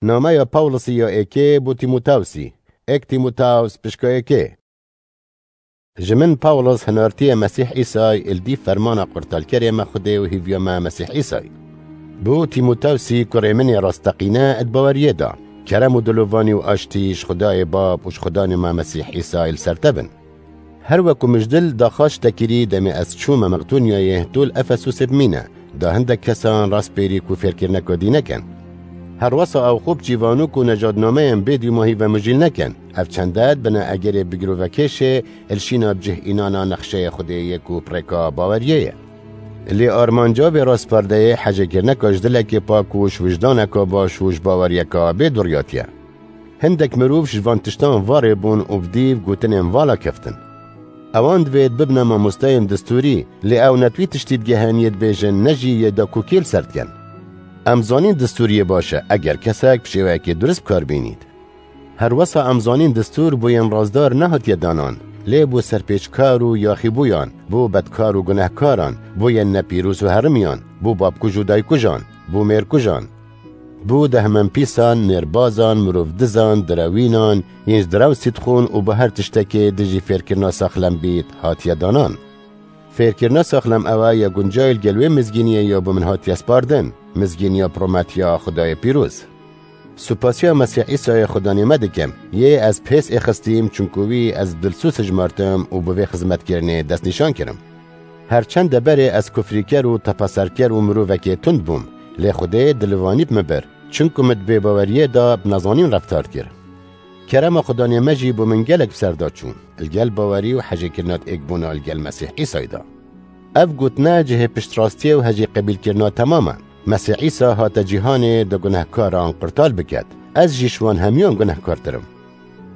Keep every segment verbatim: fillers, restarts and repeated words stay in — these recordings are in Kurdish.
Nameya Pawlusî ya êkê bo Tîmotewsî. Êk Tîmotews pişka êkê. Ji min Pawlus hinartiyê Mesîh Îsay, li dîv fermana qurtalkerê me Xwedê û hîviya me Mesîh Îsay. Bo Tîmotewsî kurê min ê rasteqîne di baweriyê de. Kerem û dilovanî û aştî ji Xwedayê Bab û ji Xudanê me Mesîh Îsay li ser te bin. Her weku min ji dil daxwaz ji te kirî, demê ez çûme Meqdonyayê, tu li Efesûsê bimîne, da hindek kesan raspêrî ku fêrkirineka dî nekin. Herwesa ew xwe bi çîvanok û nejadnameyên bê dîmahî ve mijîl nekin. Ev çende dibine egerê bi girovekêşê, li şîna bi cih înana nexşeyê Xwedê yê ku bi rêka baweriyê ye. Lê armanca vê raspardeyê hejêkirineka ji dilekê pak û ji wijdaneka baş û ji baweriyeka bê duriyatiye. Hindek mirov ji van tiştan varê bûn û bi dîv gotinên vala keftin. Ewan divêt bibine mamosteyên distûrî, lê ew ne di wî tiştî digeheniyê dibêjin, ne jî yê da ku kê li ser dikin. Em zanîn distûriyê baş e, eger kesek bi şêweyekê durist bi kar bînît. Herwesa em zanîn distûr bo yên razdar nehatiye danan, lê bo serpêçkar û yaxîbûyan, bo bedkar û gunehkaran, bo yên nepîroz û herimiyan, bo babkuj û daykujan, bo mêrkujan, bo dehmenpîsan, mêrbazan, mirovdizan, direwînan, yên ji direwsî dixwin û bo her tiştekê dijî fêrkirina saxlem bît, hatiye danan. Fêrkirina saxlem ew e ya guncayî li gel wê mizgîniyê ya bo min hatiye spardin, mizgîniya pirometiya Xwedayê pîroz. Supasiya Mesîh Îsayê Xudanê me dikim, yê ez pês êxistîm, çunku wî ez dilsûz hijmartim û bi vê xizmetkirinê destnîşan kirim. Her çende berê ez kufrîker û tepeserker û mirovekê tund bûm, lê Xwedê dilivanî bi min bir, çunku min di bêbaweriyê de bi nezanîn reftar kir. Kerema Xudanê me jî bo min gelek bi ser de çûn, li gel bawerî û hejêkirina êkbûna li gel Mesîh Îsayê de. Ev gotine cihê piştrastiyê û hejî qebîlkirina temam e. Mesîh Îsa hate cîhanê da gunehkaran qurtal biket. Ez jî ji wan hemiyan gunehkartir im.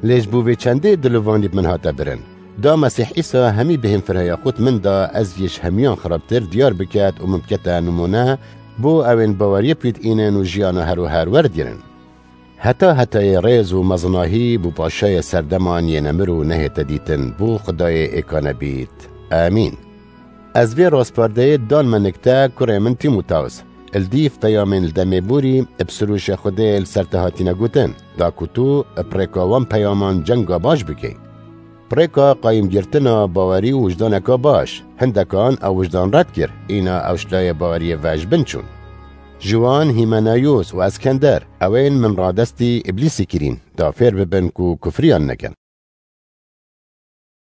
Lê ji bo vê çendê dilovanî bi min hate birin. Da Mesîh Îsa hemî bihên firheya xwe di min da, ez jî ji hemiyan xirabtir diyar biket û min bikete nimûne, bo ew ên baweriyê pêdînin û jiyana her û her werdigrin. Heta hetayê rêz û mezinahî bo paşayê serdeman yên nemir û nehête dîtin, bo Xwedayê êkane bît. Amîn. Ez vê raspardeyê dan me nikte, kurê min Tîmotews. Li dîv peyamên li demê borî, bi sirûşê Xwedê li ser te hatine gotin, da ku tu bi rêka wan peyaman cenga baş bikey. Bi rêka qayîmgirtina bawerî û wijdaneka baş, hindekan ew wijdan red kir, îna ew ji layê baweriyê ve ji bin çûn. Ji wan Hîmenayos û Eskender, ew ên min radestî Îblîsî kirîn, da fêr bibin ku kufriyan nekin.